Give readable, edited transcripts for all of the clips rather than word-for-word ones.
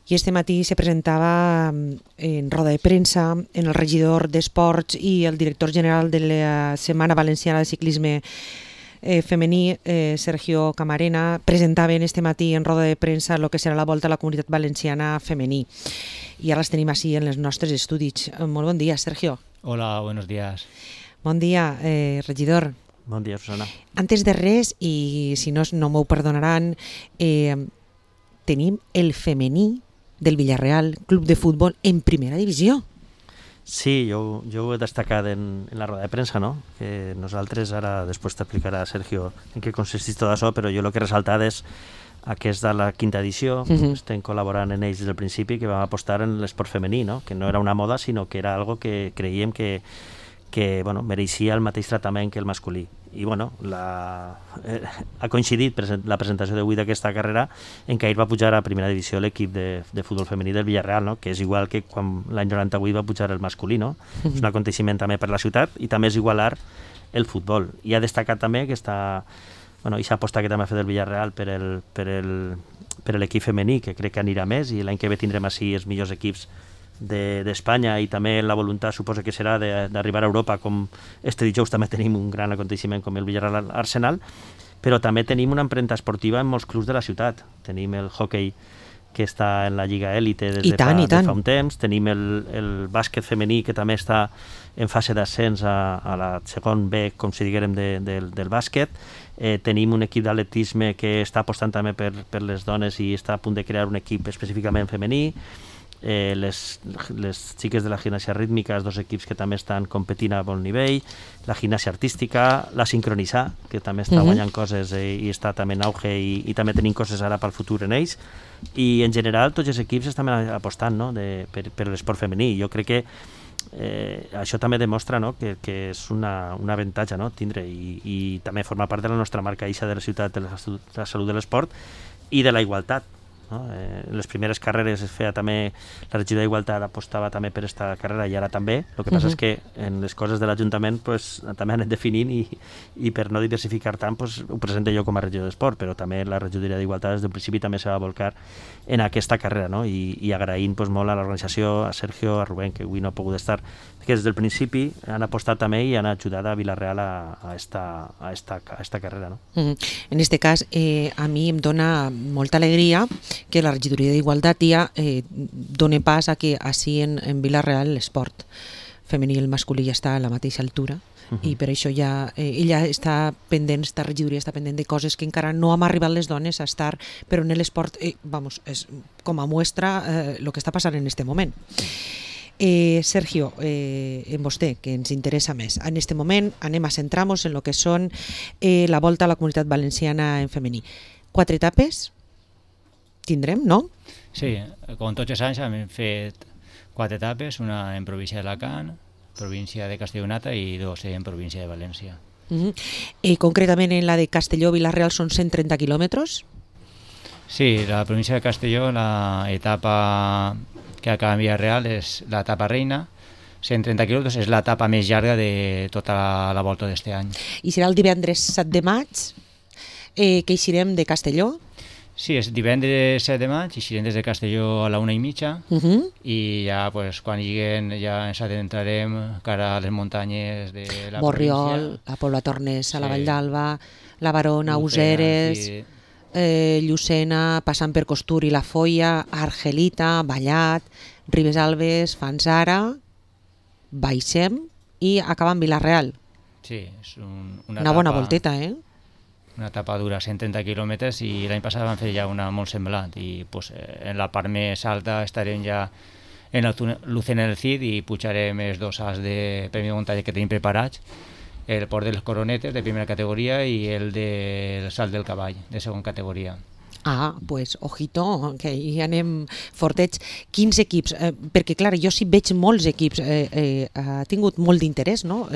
i este matí se presentava en roda de premsa en el regidor d'Esports i el director general de la Setmana Valenciana de Ciclisme femení, Sergio Camarena, presentaven este matí en roda de premsa el que serà la Volta a la Comunitat Valenciana femení. I ara els tenim així en els nostres estudis. Molt bon dia, Sergio. Hola, buenos días. Bon dia, regidor. Bon dia, Susana. Antes de res, i si no m'ho perdonaran, tenim el femení del Villarreal Club de Futbol en primera divisió. Sí, jo ho he destacat en la roda de premsa, no? Que nosaltres, ara després t'explicarà Sergio en què consisteix tot això, però jo el que he ressaltat és aquesta la quinta edició, estem col·laborant en ells des del principi, que vam apostar en l'esport femení, no? Que no era una moda, sinó que era algo que creiem que bueno, mereixia el mateix tractament que el masculí. I bueno, ha coincidit la presentació d'avui d'aquesta carrera en què ahir va pujar a primera divisió l'equip de futbol femení del Villarreal, no? Que és igual que quan l'any 98 va pujar el masculí, no? És un aconteixement també per la ciutat i també és igualar el futbol. I ha destacat també que aquesta aposta que també ha fet el Villarreal per l'equip femení, que crec que anirà més, i l'any que ve tindrem així els millors equips d'Espanya, i també la voluntat suposa que serà d'arribar a Europa, com este dijous també tenim un gran aconteixement com el Villarreal Arsenal, però també tenim una empremta esportiva en molts clubs de la ciutat. Tenim el hoquei que està en la Lliga Élite des de fa un temps, tenim el bàsquet femení que també està en fase d'ascens a la segon B, com si diguérem, del bàsquet. Tenim un equip d'atletisme que està apostant també per les dones i està a punt de crear un equip específicament femení. Les xiques de la gimnàsia rítmica, els dos equips que també estan competint a bon nivell, la gimnàsia artística, la sincronitzar, que també està guanyant coses i està també en auge, i també tenim coses ara pel futur en ells, i en general tots els equips estan apostant, no? per l'esport femení. Jo crec que això també demostra, no? que és un avantatge, no? tindre i també formar part de la nostra marca eixa de la ciutat, de la salut de l'esport i de la igualtat. No? Les primeres carreres es feia també, la regió d'Igualtat apostava també per aquesta carrera i ara també. El que passa és que en les coses de l'Ajuntament pues, també han anat definint i per no diversificar tant pues, ho presento jo com a regió d'esport, però també la regidoria d'Igualtat des del principi també se va volcar en aquesta carrera, no? I agraint pues, molt a l'organització, a Sergio, a Rubén, que avui no ha pogut estar, que des del principi han apostat també i han ajudat a Villarreal a esta carrera. No? En este cas, a mi em dona molta alegria que la regidoria d'Igualtat ja doni pas a que així en Villarreal l'esport femení i el masculí ja està a la mateixa altura i per això ja ella està pendent, esta regidoria està pendent de coses que encara no hem arribat les dones a estar, però en l'esport és com a muestra el que està passant en este moment. Sergio, en vostè, que ens interessa més. En este moment anem a centrar-nos en el que són la Volta a la Comunitat Valenciana en femení. 4 etapes tindrem, no? Sí, com tots els anys hem fet 4 etapes, una en província d'Alacant, província de Castellonata i 2 en província de València. Concretament en la de Castelló-Vilareal són 130 quilòmetres? Sí, la província de Castelló, la etapa que acaba en Villarreal és l'etapa reina, 130 quilòmetres, és l'etapa més llarga de tota la volta d'este any. I serà el divendres 7 de maig que eixirem de Castelló? Sí, és divendres 7 de maig, eixirem des de Castelló a la 1:30 i ja pues, quan lleguen ja ens adentrarem cara a les muntanyes de la Borriol, província. a Pobla Tornesa, la Vall d'Alba, la Barona, Useres, sí. Llucena, passant per Costur i la Foia, Argelita, Vallat, Ribes Alves, Fanzara, baixem i acabem Vilareal. Sí, és una bona volteta, Una etapa dura 130 quilòmetres i l'any passat vam fer ja una molt semblant i pues, en la part més alta estarem ja en el Lucena del Cid i pujarem els 2 salts de premi de muntanya que tenim preparats, el port de les Coronetes de primera categoria i el del salt del cavall de segona categoria. Pues ojito, que hi anem fortets. Quins equips? Perquè clar, jo sí veig molts equips, ha tingut molt d'interès, no?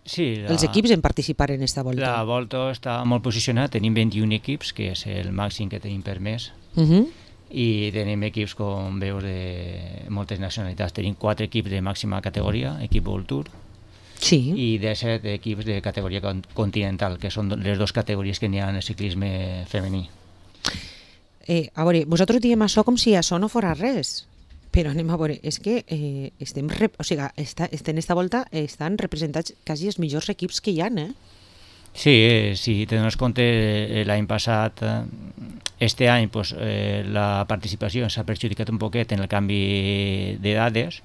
Sí, els equips en participar en aquesta volta. La volta està molt posicionada, tenim 21 equips, que és el màxim que tenim permès, i tenim equips, com veus, de moltes nacionalitats. Tenim 4 equips de màxima categoria, equip World Tour, i 17 equips de categoria continental, que són les 2 categories que n'hi ha en el ciclisme femení. A veure, vosaltres diem això com si això no fora res, però anem a veure, és que esta volta estan representats quasi els millors equips que hi ha, eh? Sí, si te dones compte, l'any passat, este any, pues, la participació s'ha perjudicat un poquet en el canvi de dades.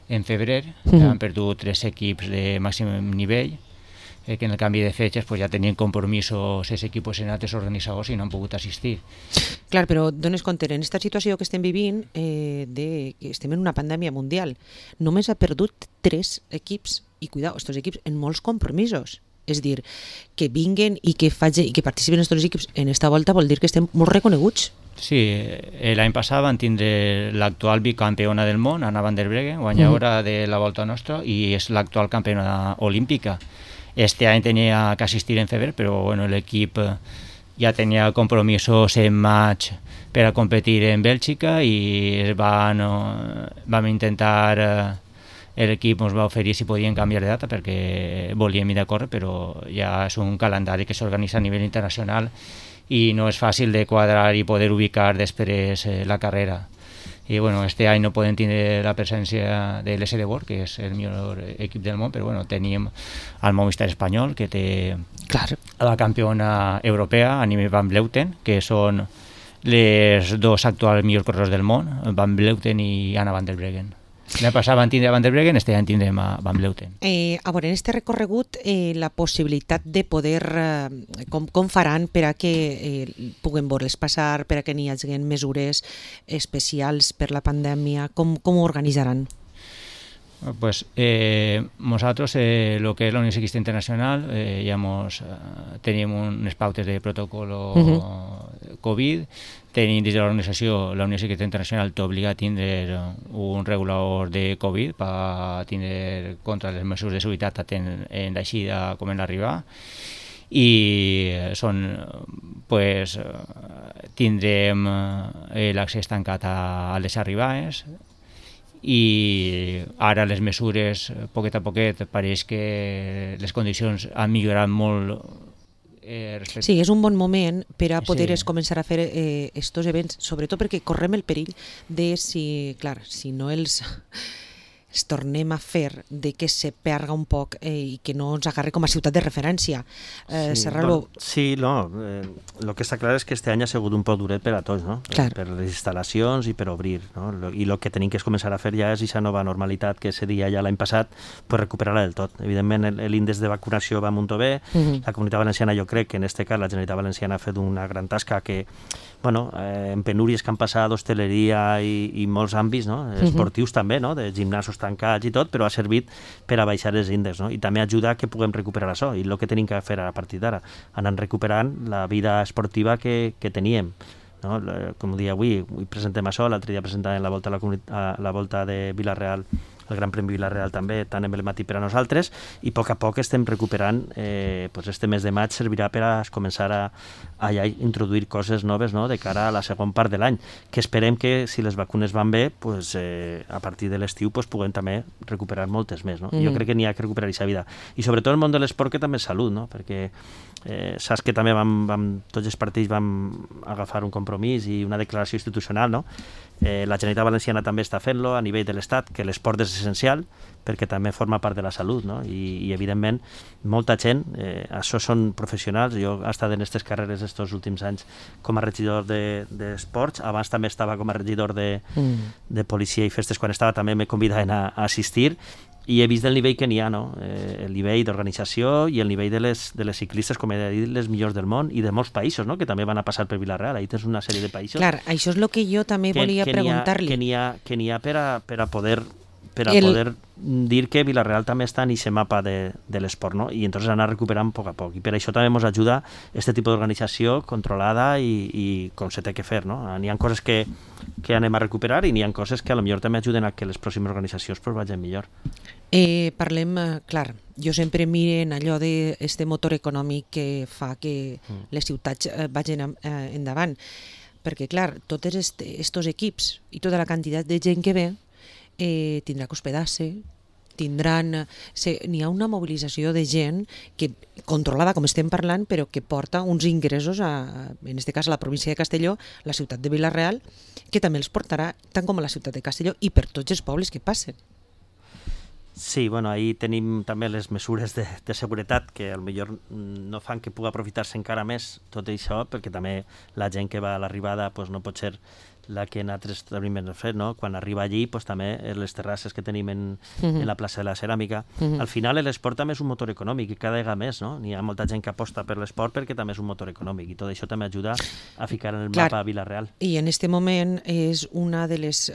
En febrer han perdut 3 equips de màxim nivell, que en el canvi de fetges pues, ja tenien compromisos els equips en altres organitzadors i no han pogut assistir. Clar, però dones compte, en aquesta situació que estem vivint, que estem en una pandèmia mundial, només ha perdut 3 equips, i cuidao, estos equips en molts compromisos. És dir, que vinguen i que participen els equips en esta volta vol dir que estem molt reconeguts. Sí, l'any passat van tindre l'actual bicampiona del món, Anna van der Breggen, guanyadora de la volta nostra, i és l'actual campiona olímpica. Este any tenia que assistir en febrer, però bueno, l'equip ja tenia compromisos en maig per a competir en Bèlgica i vam intentar... L'equip ens va oferir si podien canviar de data perquè volíem ir de córrer, però ja és un calendari que s'organitza a nivell internacional i no és fàcil de quadrar i poder ubicar després la carrera. I bueno, este any no podem tindre la presència de l'SD World, que és el millor equip del món, però bueno, tenim el Movistar espanyol, que té la campiona europea, Anime van Vleuten, que són les 2 actuals millors corredors del món, Van Vleuten i Anna van der Breggen. L'any passat van tindre Van der Breggen, este any tindrem a Van Vleuten. A veure, en este recorregut, la possibilitat de poder, com faran per a que puguen veure-les passar, per a que n'hi hagi mesures especials per la pandèmia, com ho organitzaran? Pues nosaltres, lo que és la Unió Ciclista Internacional, tenim unes pautes de protocolo Covid, tenim dins de l'organització, la Unió Ciclista Internacional t'obliga a tindre un regulador de Covid per tindre contra les mesures de seguretat tant en l'eixida com en l'arribada, i tindrem l'accés tancat a les arribades, i ara les mesures, poquet a poquet, pareix que les condicions han millorat molt. Sí, és un bon moment per a poder començar a fer estos events, sobretot perquè correm el perill de si no els tornem a fer, de que se perga un poc i que no ens agarri com a ciutat de referència. Sí, el que està clar és que este any ha sigut un poc duret per a tots, no? Per les instal·lacions i per obrir, no? I el que tenim que començar a fer ja és aquesta nova normalitat que seria ja l'any passat, pues recuperar-la del tot. Evidentment, l'índex de vacunació va molt bé, la Comunitat Valenciana, jo crec que en este cas la Generalitat Valenciana ha fet una gran tasca que, en penúries que han passat d'hostaleria i molts àmbits, no? Esportius també, no? De gimnasos tancats i tot, però ha servit per a baixar els índexs, no? I també ajuda que puguem recuperar això, i el que tenim que fer a partir d'ara, anar recuperant la vida esportiva que teníem, no? Com dia avui presentem això, l'altre dia presentàvem la volta de Vila-real, el Gran Premi Vila-real també, tan emblemàtic per a nosaltres, i a poc estem recuperant, este mes de maig servirà per a començar a introduir coses noves, no? De cara a la segona part de l'any, que esperem que si les vacunes van bé, a partir de l'estiu puguem també recuperar moltes més, no? Jo crec que n'hi ha que recuperar aquesta vida, i sobretot el món de l'esport, que també és salut, no? Perquè saps que també tots els partits vam agafar un compromís i una declaració institucional, no? La Generalitat Valenciana també està fent-lo a nivell de l'Estat, que l'esport és essencial perquè també forma part de la salut, no? I evidentment molta gent, això són professionals, jo he estat en aquestes carreres estos últims anys com a regidor d'esports, abans també estava com a regidor de policia i festes, quan estava també me convidaven a assistir, i he vist el nivell que n'hi ha, no? El nivell d'organització i el nivell de les ciclistes, com he dit, les millors del món i de molts països, no? Que també van a passar per Vila-real. Ahí tens una sèrie de països. Clar, això és el que jo també volia preguntar-li. Que n'hi ha per a poder dir que Vila-real també està en aquest mapa de l'esport, no? I entonces anar recuperant a poc. I per això també ens ajuda aquest tipus d'organització controlada i com se té que fer, no? N'hi ha coses que anem a recuperar i n'hi ha coses que potser també ajuden a que les pròximes organitzacions vagin millor. Parlem, clar, jo sempre miro en allò d'aquest motor econòmic que fa que les ciutats vagin endavant, perquè clar, tots aquests equips i tota la quantitat de gent que ve tindrà que hospedar-se, n'hi ha una mobilització de gent que controlada, com estem parlant, però que porta uns ingressos, en aquest cas a la província de Castelló, la ciutat de Vila-real, que també els portarà tant com a la ciutat de Castelló i per tots els pobles que passen. Sí, bueno, ahí tenim també les mesures de seguretat que potser no fan que pugui aprofitar-se encara més tot això, perquè també la gent que va a l'arribada pues, no pot ser la que en altres establiments fet, no? Quan arriba allí, pues, també les terrasses que tenim en la plaça de la Ceràmica. Al final l'esport també és un motor econòmic i cada vegada més, no? Hi ha molta gent que aposta per l'esport perquè també és un motor econòmic i tot això també ajuda a ficar en el mapa Vila-real. I en aquest moment és una de les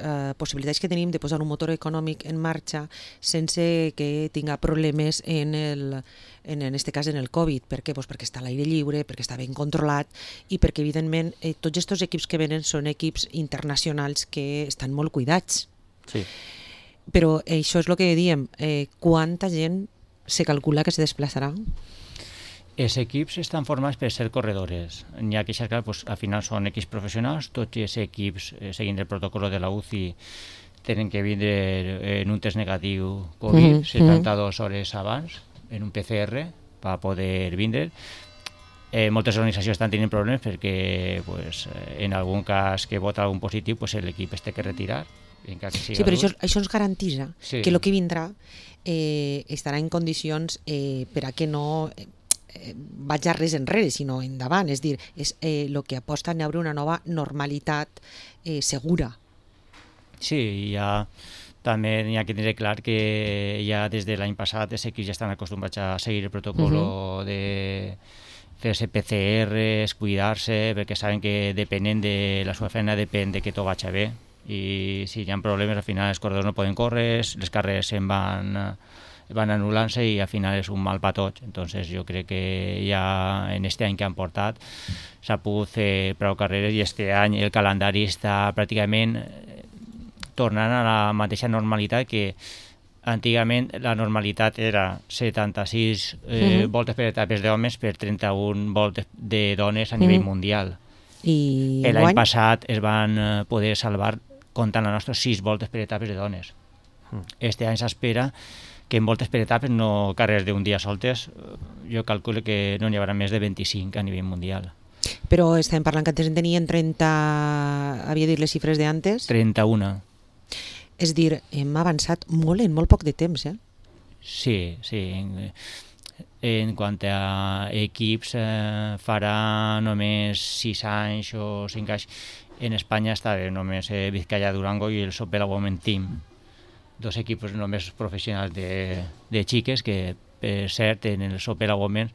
possibilitats que tenim de posar un motor econòmic en marxa sense que tinga problemes en aquest cas en el Covid. Per què? Pues perquè està a l'aire lliure, perquè està ben controlat i perquè, evidentment, tots aquests equips que venen són equips internacionals que estan molt cuidats. Sí. Però això és el que diem. Quanta gent se calcula que se desplaçarà? Els equips estan formats per ser corredores. N'hi ha que xercar, pues, al final són equips professionals, tots els equips, seguint el protocolo de la UCI, tenen que vindre en un test negatiu Covid 72 hores abans, en un PCR, per poder vindre. Moltes organitzacions estan tenint problemes perquè pues, en algun cas que vota algun positiu pues, l'equip es té que retirar. Sí, però això ens garanteix que el que vindrà estarà en condicions per a que no vaig a res enrere, sinó endavant. És dir, és el que aposta a haver una nova normalitat segura. Sí, ja també n'hi ha que tenir clar que ja des de l'any passat els equips ja estan acostumbrats a seguir el protocolo de fer-se PCRs, cuidar-se, perquè saben que depenent de la seva feina depèn de que tot vagi bé i si hi ha problemes al final els corredors no poden córrer, les carreres se'n van anul·lant-se i al final és un mal per tots. Entonces jo crec que ja en aquest any que han portat s'ha pogut fer prou carreres i aquest any el calendari està pràcticament tornant a la mateixa normalitat que antigament la normalitat era 76 voltes per etapes d'homes per 31 voltes de dones a nivell mundial. I l'any passat es van poder salvar comptant les nostres 6 voltes per etapes de dones. Este any s'espera que en voltes per etapes, no carreres d'un dia soltes, jo calculo que no n'hi haurà més de 25 a nivell mundial. Però estem parlant que antes en tenien 30, havia dit les xifres d'antes? 31. És dir, hem avançat molt en molt poc de temps, eh? Sí, sí. En quant a equips, farà només 6 anys o 5 anys. En Espanya estava només Vizcaya Durango i el Sopela Women Team. 2 equips només professionals de xiques que, per cert, en el Sopela Women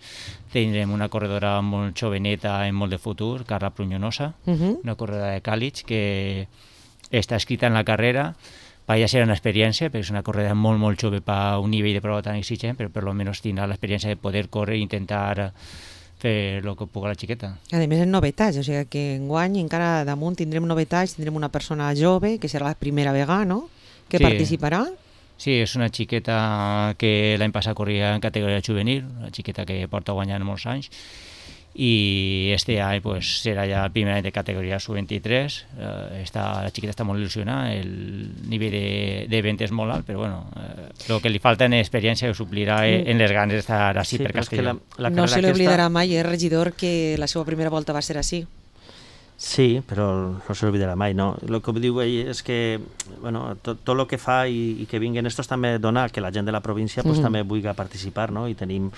tindrem una corredora molt joveneta en molt de futur, Carla Prunyonosa, una corredora de Càlig que està escrita en la carrera. Ja serà una experiència, perquè és una corrida molt, molt jove per un nivell de prova tan exigent, però per almenys tindrà l'experiència de poder córrer i intentar fer el que pugui la xiqueta. A més, en novetats, o sigui que enguany encara damunt tindrem novetats, tindrem una persona jove, que serà la primera vegada, no?, que participarà. Sí, és una xiqueta que l'any passat corria en categoria juvenil, una xiqueta que porta guanyant molts anys, i este any pues, serà ja el primer any de categoria sub-23. La xiqueta està molt il·lusionada, el nivell de venda és molt alt, però bueno, el que li falta en experiència ho suplirà en les ganes d'estar així per Castelló. No se li oblidarà mai, regidor, que la seva primera volta va ser així. Sí, però no se l'oblidarà mai, no? El que diu ell és que bueno, tot el que fa i que vinguin estos també dona que la gent de la província pues, també vulgui participar, no? I tenim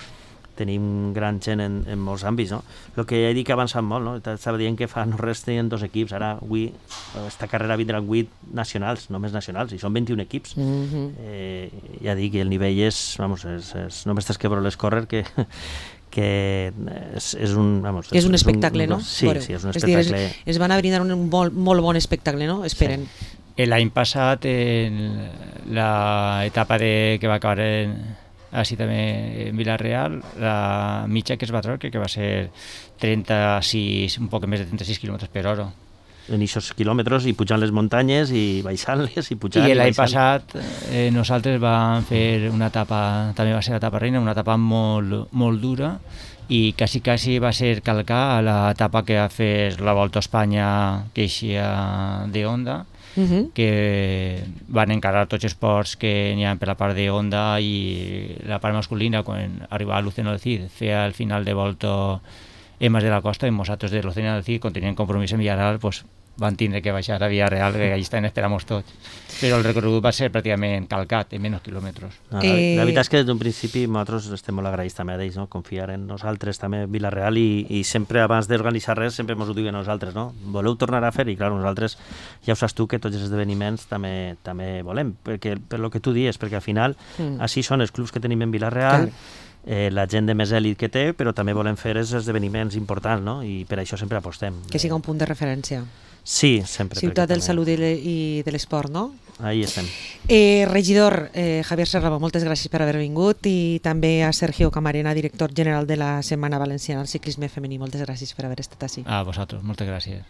gran gent en molts àmbits, no? El que ja he dit que ha avançat molt, no? Estava dient que fa no res tenien 2 equips, ara avui esta carrera vindran 8 nacionals, només nacionals, i són 21 equips. Ja dic que el nivell és només tens que veure-les córrer que és un... És un espectacle, no? Sí, sí, és un espectacle. Es van a brindar un molt bon espectacle, no? Esperen. L'any passat, en l'etapa que va acabar així també en Vila-real, la mitja que es va treure crec que va ser 36, un poc més de 36 km per hora. En aquests quilòmetres i pujant les muntanyes i baixant-les i pujant. I l'any passat nosaltres vam fer una etapa, també va ser l'etapa reina, una etapa molt dura i quasi va ser calcar a l'etapa que va fer la Volta a Espanya que eixia de Honda que van encarar tots els esports que n'hi ha per la part de Honda, i la part masculina, quan arribava a Luceno del Cid, feia el final de volta Emas de la Costa, i nosaltres de Luceno del Cid, quan tenien compromís en Villarreal, pues, van tindre que baixar a Villarreal, que allà estan esperant tots. Però el recorregut va ser pràcticament calcat, en menys quilòmetres. La veritat és que des d'un principi nosaltres estem molt agraïts també a ells, no? Confiar en nosaltres també Villarreal, i sempre abans d'organitzar res sempre ens ho diuen nosaltres, no? Voleu tornar a fer? I clar, nosaltres ja ho saps tu que tots els esdeveniments també volem, perquè per lo que tu dius, perquè al final així són els clubs que tenim en Villarreal, la gent de més èlit que té, però també volem fer els esdeveniments importants, no? I per això sempre apostem. Que siga un punt de referència. Sí, sempre. Ciutat del Salut i de l'Esport, no? Ahí estem. Regidor Javier Serrabo, moltes gràcies per haver vingut, i també a Sergio Camarena, director general de la Setmana Valenciana del Ciclisme Femení. Moltes gràcies per haver estat així. A vosaltres, moltes gràcies.